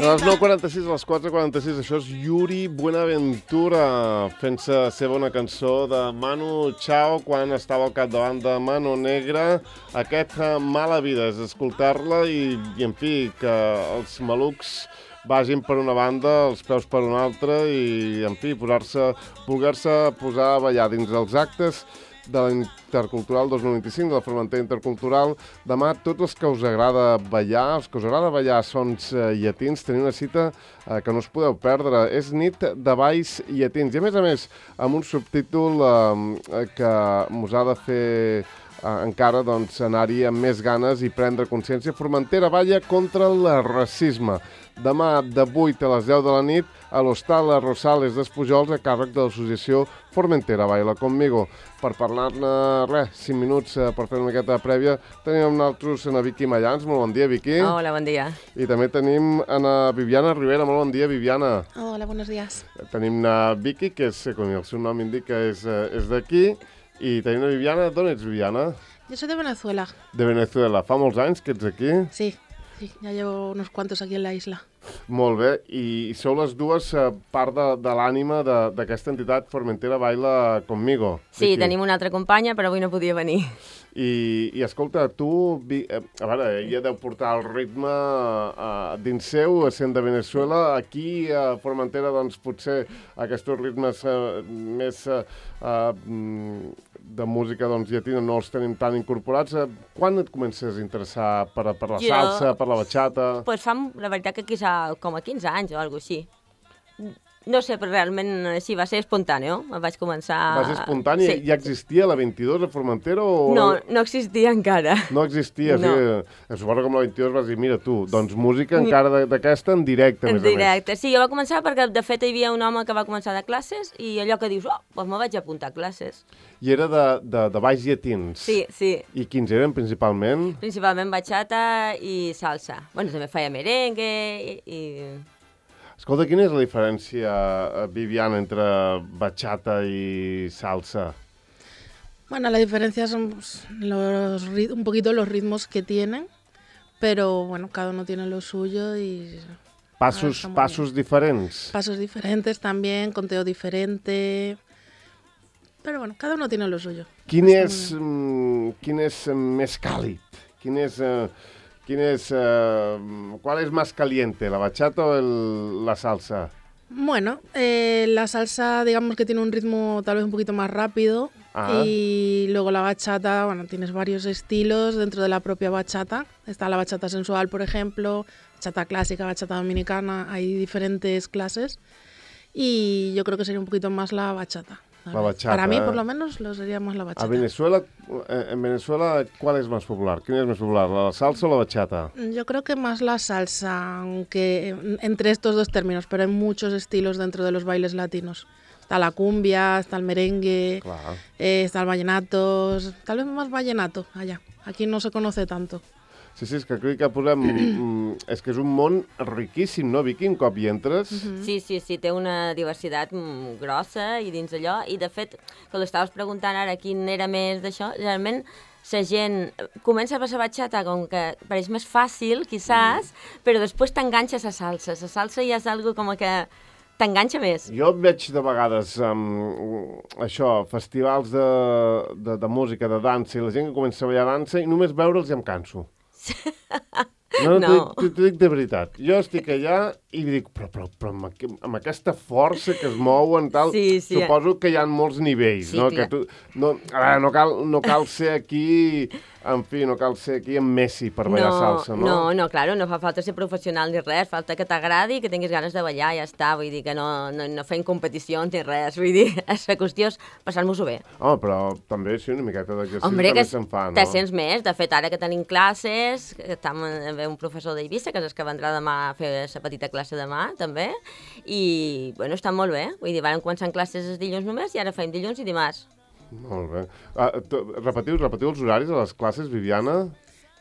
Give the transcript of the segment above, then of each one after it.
A les 9:46, a les 4:46, això és Yuri Buenaventura fent-se seva una cançó de Manu Chao quan estava al capdavant de Mano Negra. Aquest Mala Vida és escoltar-la i en fi, que els malucs vagin per una banda, els peus per una altra i, en fi, voler-se posar a ballar dins dels actes de l'Intercultural 2025, de la Formentera Intercultural. Demà, tots els que us agrada ballar, sons llatins, teniu una cita que no us podeu perdre. És Nit de Balls Llatins. I, a més, amb un subtítol que us ha de fer encara anar-hi amb més ganes i prendre consciència. Formentera balla contra el racisme. Demà, de 8 a les 10 de la nit, a l'Hostal Rosales d'Espujols, a càrrec de l'associació Formentera Baila Conmigo. Per parlar-ne, 5 minuts per fer una miqueta prèvia, tenim amb nosaltres a Vicky Mayans. Molt bon dia, Vicky. Hola, bon dia. I també tenim a Viviana Rivera. Molt bon dia, Viviana. Hola, buenos días. Tenim a Vicky, que és, com el seu nom indica, és d'aquí. I tenim a Viviana. D'on ets, Viviana? Yo soy de Venezuela. De Venezuela. Fa molts anys que ets aquí? Sí, ya llevo unos cuantos aquí en la isla. Molt bé. I sou les dues part de l'ànima d'aquesta entitat Formentera Baila Conmigo. Sí, tenim una altra companya, però avui no podia venir. I escolta, tu, a veure, ella deu portar el ritme dins seu, sent de Venezuela. Aquí a Formentera, doncs, potser aquests ritmes més de música llatina no els tenim tan incorporats. Quan et comences a interessar per la salsa, per la bachata? Pues fa, la veritat, que quizà com a 15 anys o alguna cosa així. No sé, però realment sí, va ser espontàneo. Vaig començar... Va ser espontani? Sí. Ja existia la 22 a Formentera? O... No existia encara. No existia, no. Sí. Suposo que amb la 22 vas dir, mira tu, doncs música encara d'aquesta en directe, a més. En directe, sí. Jo va començar perquè, de fet, hi havia un home que va començar de classes i allò que dius, doncs me vaig apuntar a classes. I era de balls llatins? Sí, sí. I quins eren, principalment? Principalment bachata i salsa. Bueno, també feia merengue i... Escolta, quina és la diferència, Viviana, entre bachata y salsa? Bueno, la diferencia son un poquito los ritmos que tienen, pero bueno, cada uno tiene lo suyo y... Pasos diferents? Pasos diferentes también, conteo diferente, pero bueno, cada uno tiene lo suyo. Quin és més càlid? ¿Cuál es más caliente, la bachata o la salsa? Bueno, la salsa, digamos que tiene un ritmo tal vez un poquito más rápido. Ajá. Y luego la bachata, bueno, tienes varios estilos dentro de la propia bachata. Está la bachata sensual, por ejemplo, bachata clásica, bachata dominicana, hay diferentes clases. Y yo creo que sería un poquito más la bachata. La bachata. Para mí, por lo menos, lo sería más la bachata. En Venezuela, ¿cuál es más popular? ¿Quién es más popular, la salsa o la bachata? Yo creo que más la salsa, aunque entre estos dos términos, pero hay muchos estilos dentro de los bailes latinos. Está la cumbia, está el merengue, está el vallenato, tal vez más vallenato allá. Aquí no se conoce tanto. Sí, és que crec que posem... és que és un món riquíssim, no, Vicky, un cop hi entres? Sí, té una diversitat grossa i dins allò, i de fet, que l'estaves preguntant ara quin era més d'això, realment la gent comença a passar bachata com que pareix més fàcil, quizás, però després t'enganxa la salsa. La salsa ja és algo com que t'enganxa més. Jo veig de vegades festivals de música, de dansa, i la gent que comença a ballar dansa i només veure'ls ja em canso. No. T'ho dic de veritat. Jo estic allà i dic, però amb aquesta força que es mouen, tal, suposo que hi ha molts nivells, no? Que no cal ser aquí... En fi, no cal ser aquí amb Messi per ballar salsa, no? No, claro, no fa falta ser professional ni res, falta que t'agradi i que tinguis ganes de ballar, ja està, vull dir que no fem competicions ni res, vull dir, la qüestió és passar-nos-ho bé. Però també sí, una miqueta d'exercici també se'n fa, no? Te sents més, de fet, ara que tenim classes, que estem amb un professor d'Eivissa, que és el que vendrà demà a fer la petita classe demà, també, i, bueno, està molt bé, vull dir, vam començar en classes els dilluns només i ara fem dilluns i dimarts. Molt bé. Repetiu els horaris de les clases, Viviana?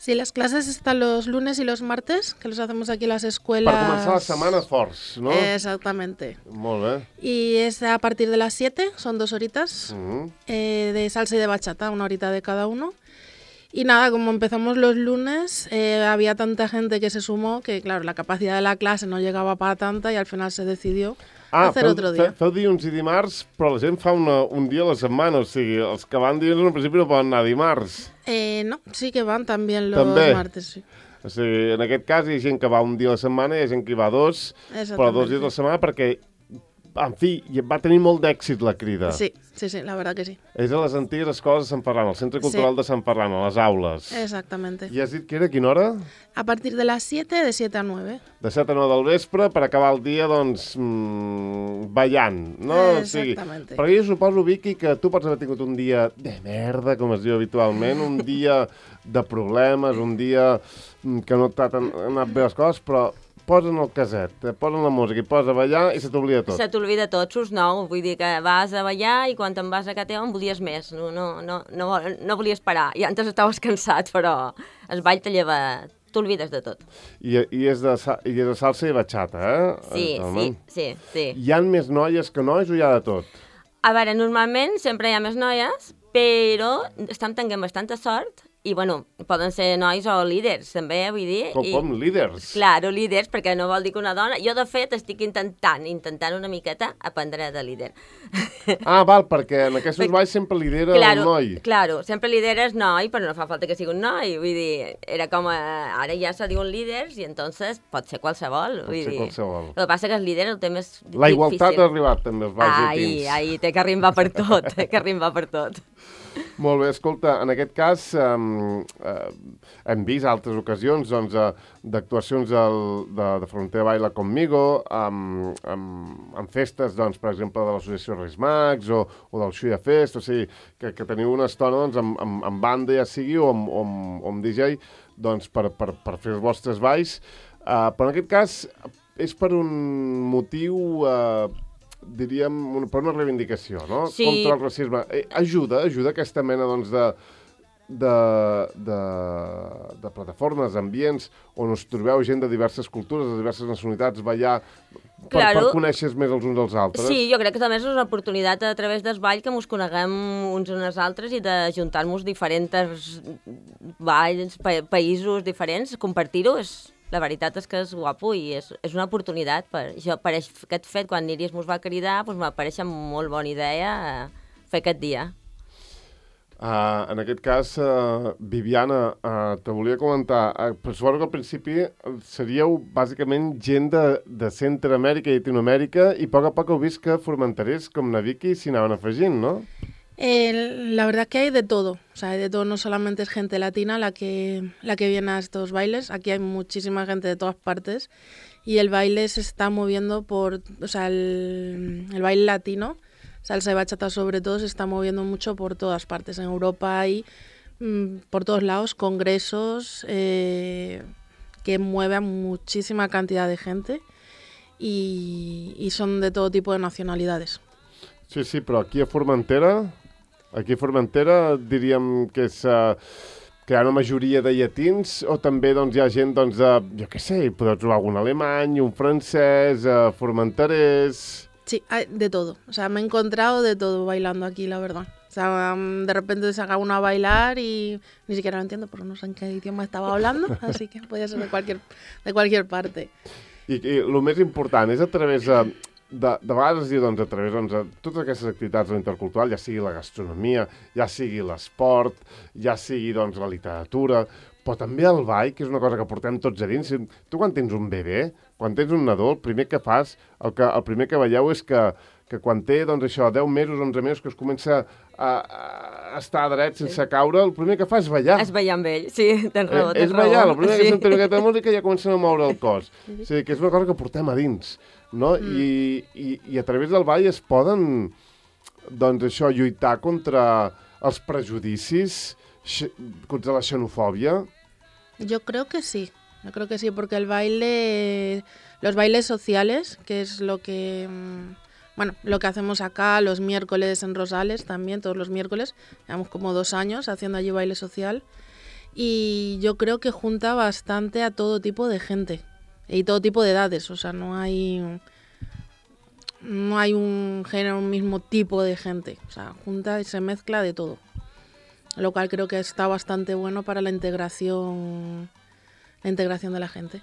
Sí, las clases están los lunes y los martes, que los hacemos aquí en las escuelas. Per començar la setmana forts, ¿no? Exactamente. Molt bé. Y es a partir de las 7, son 2 horitas, de salsa y de bachata, 1 horita de cada uno. Y nada, como empezamos los lunes, había tanta gente que se sumó que, claro, la capacidad de la clase no llegaba para tanta y al final se decidió hacer otro dia. Feu dilluns i dimarts, però la gent fa un dia a la setmana, o sigui, els que van dilluns en principi no poden anar dimarts. No, sí que van també los martes, sí. O sigui, en aquest cas hi ha gent que va un dia a la setmana i hi ha gent que hi va dos, però 2 dies a la setmana perquè, en fi, va tenir molt d'èxit la crida. Sí, la verdad que sí. És a les antigues escoles de Sant Ferran, al Centre Cultural de Sant Ferran, a les aules. Exactamente. I has dit que era a quina hora? A partir de las 7, de 7 a 9. De 7 a 9 del vespre per acabar el dia, doncs, ballant, no? Exactamente. Perquè jo suposo, Vicky, que tu pots haver tingut un dia de merda, com es diu habitualment, un dia de problemes, un dia que no t'han anat bé les coses, però posen el caset, posen la música i posa a ballar i se t'oblida tot. Se t'oblida tot, surts nou, vull dir que vas a ballar i quan te'n vas a casa teva en volies més, no volies parar, i antes estaves cansat, però el ball te lleva, t'olvides de tot. I és de salsa i bachata, eh? Sí. Hi ha més noies que nois o hi ha de tot? A veure, normalment sempre hi ha més noies, però estem tenint bastanta sort i, bueno, poden ser nois o líders, també, vull dir. Com líders? Claro, líders, perquè no vol dir que una dona... Jo, de fet, estic intentant una miqueta aprendre de líder. Val, perquè en aquests balls sempre lidera el noi. Claro, sempre lideres noi, però no fa falta que sigui un noi. Vull dir, era com... Ara ja se diuen líders i entonces pot ser qualsevol. Pot ser qualsevol. El que passa que els líders el té més difícil. La igualtat ha arribat també als balls llatins. Ai, té que arrimbar per tot, Molt bé, escolta, en aquest cas hem vist altres ocasions doncs, d'actuacions de Frontera Baila Conmigo, amb festes, doncs, per exemple, de l'associació Reis Mags o del Xuya Fest, o sigui, que teniu una estona doncs, amb banda, ja sigui, o amb DJ, doncs, per fer els vostres balls. Però en aquest cas és per un motiu... diríem, per una reivindicació, no? Sí. Contra el racisme. Ajuda aquesta mena, doncs, de plataformes, ambients, on us trobeu gent de diverses cultures, de diverses nacionalitats, ballar, per conèixer més els uns als altres. Sí, jo crec que també és una oportunitat a través del ball que ens coneguem uns uns altres i d'ajuntar-nos diferents balls, països diferents, compartir-ho La veritat és que és guapo i és una oportunitat. Per aquest fet, quan l'Iris mos va cridar, doncs m'apareix molt bona idea fer aquest dia. En aquest cas, Viviana, te volia comentar, suposo que al principi seríeu bàsicament gent de Centroamèrica i Llatinoamèrica i a poc heu vist que formenterers com na Vicky s'hi anaven afegint, no? La verdad que hay de todo, o sea, hay de todo, no solamente es gente latina la que viene a estos bailes, aquí hay muchísima gente de todas partes y el baile se está moviendo o sea, el baile latino, salsa y bachata sobre todo, se está moviendo mucho por todas partes, en Europa hay por todos lados congresos que mueven a muchísima cantidad de gente y son de todo tipo de nacionalidades. Sí, però aquí a Formentera diríem que és que hi ha una majoria de llatins o també doncs, hi ha gent, doncs, jo què sé, podeu trobar algun alemany, un francès, formenterers... Sí, hay de todo. O sea, me he encontrado de todo bailando aquí, la verdad. O sea, de repente se haga uno a bailar y ni siquiera lo entiendo porque no sé en qué idioma estaba hablando, así que podía ser de cualquier parte. I el més important és a través de vegades es diu, doncs, a través de totes aquestes activitats de l'intercultural, ja sigui la gastronomia, ja sigui l'esport, ja sigui, doncs, la literatura, però també el ball, que és una cosa que portem tots a dins. Tu quan tens un bebè, quan tens un nadó, el primer que fas, el primer que veieu és que quan té, doncs, això, 10 mesos, 11 mesos, que es comença a estar dret sense caure, el primer que fa és ballar. És ballar amb ell, sí, tens raó. És ballar, el primer que sentem aquesta música ja comencen a moure el cos. O sigui, que és una cosa que portem a dins, no? I a través del ball es poden, doncs, això, lluitar contra els prejudicis, contra la xenofòbia. Yo creo que sí, porque el baile, los bailes sociales, que es lo que... Bueno, lo que hacemos acá los miércoles en Rosales también, todos los miércoles, llevamos como 2 años haciendo allí baile social y yo creo que junta bastante a todo tipo de gente y todo tipo de edades, o sea, no hay un género, un mismo tipo de gente, o sea, junta y se mezcla de todo. lo cual creo que está bastante bueno para la integración de la gente.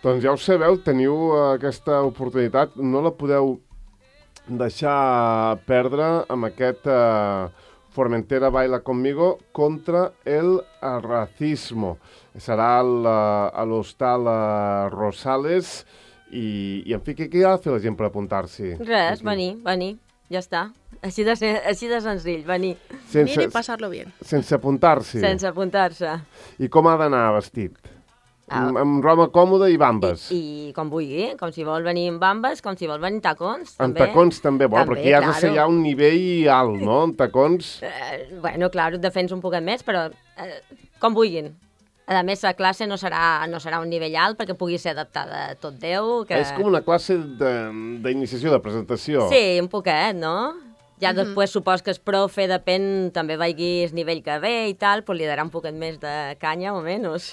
Doncs ja ho sabeu, teniu aquesta oportunitat, no la podeu deixar perdre amb aquest Formentera Baila Conmigo contra el racismo. Serà a l'hostal Rosales i en fi, què ha de fer la gent per apuntar-s'hi? Res, venir, ja està. Així de senzill, venir. Venir i passar-lo bien. Sense apuntar-s'hi? Sense apuntar-se. I com ha d'anar vestit? Amb roba còmoda i bambes. I com vulgui, com si vol venir amb bambes, com si vol venir amb tacons, també. Amb tacons també, però aquí has de ser ja un nivell alt, no? Amb tacons... Bueno, clar, et defens un poquet més, però com vulguin. A més, la classe no serà un nivell alt perquè pugui ser adaptada a tot Déu. És com una classe d'iniciació, de presentació. Sí, un poquet, no? Ja després supos que el profe, depèn, també vegui el nivell que ve i tal, però li darà un poquet més de canya o menys.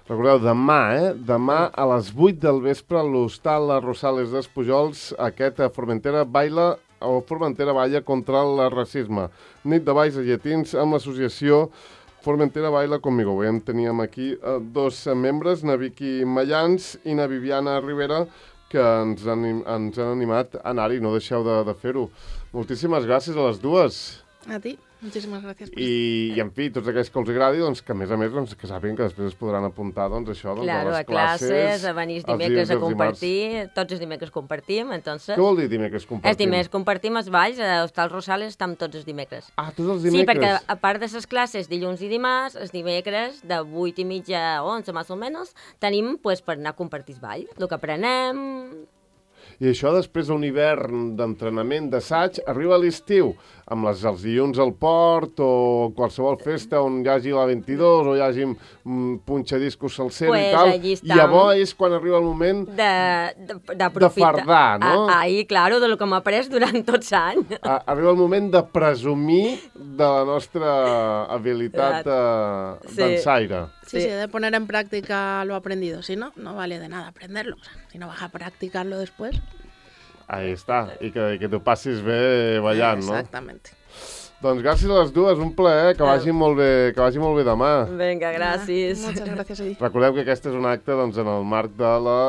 Recordeu, demà a les 8 del vespre a l'hostal Rosales d'Espujols, aquest Formentera Baila o Formentera Balla contra el racisme. Nit de balls a llatins amb l'associació Formentera Baila Conmigo. Avui teníem aquí dos membres, na Vicky Mayans i na Viviana Rivera, que ens han animat a anar-hi, no deixeu de fer-ho. Moltíssimes gràcies a les dues. A ti. Moltíssimes gràcies. I en fi, tots aquells que els agradi, doncs, que a més, que sàpiguen que després es podran apuntar a les classes, a venir els dimecres a compartir, tots els dimecres compartim, entonces... Què vol dir dimecres compartim? Els dimecres compartim els balls, a l'Hostal Rosales estem tots els dimecres. Ah, tots els dimecres? Sí, perquè a part de les classes dilluns i dimarts, els dimecres de 8:30 a 11, més o menys, tenim per anar a compartir el ball, el que aprenem... I això després d'un hivern d'entrenament, d'assaig, arriba a l'estiu, amb els dilluns al port o qualsevol festa on hi hagi la 22 o hi hagi punxadiscos salsero i tal, i llavors és quan arriba el moment de fardar, no? Ahí, claro, de lo que m'ha après durant tots anys. Arriba el moment de presumir de la nostra habilitat dansaire. Sí, de poner en práctica lo aprendido. Si no, no vale de nada aprenderlo. O sea, si no vas a practicarlo después... Ahí està. I que t'ho passis bé ballant, no? Exactamente. Doncs gràcies a les dues, un plaer, que vagi molt bé demà. Vinga, gràcies. Moltes gràcies a ti. Recordeu que aquest és un acte doncs, en el marc de la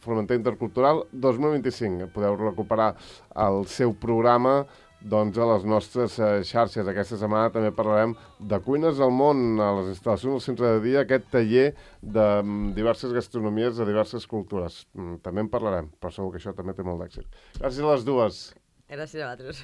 Formentera Intercultural 2025. Podeu recuperar el seu programa doncs, a les nostres xarxes. Aquesta setmana també parlarem de Cuines al Món, a les instal·lacions del centre de dia, aquest taller de diverses gastronomies de diverses cultures. També en parlarem, però segur que això també té molt d'èxit. Gràcies a les dues. Gràcies a vosaltres.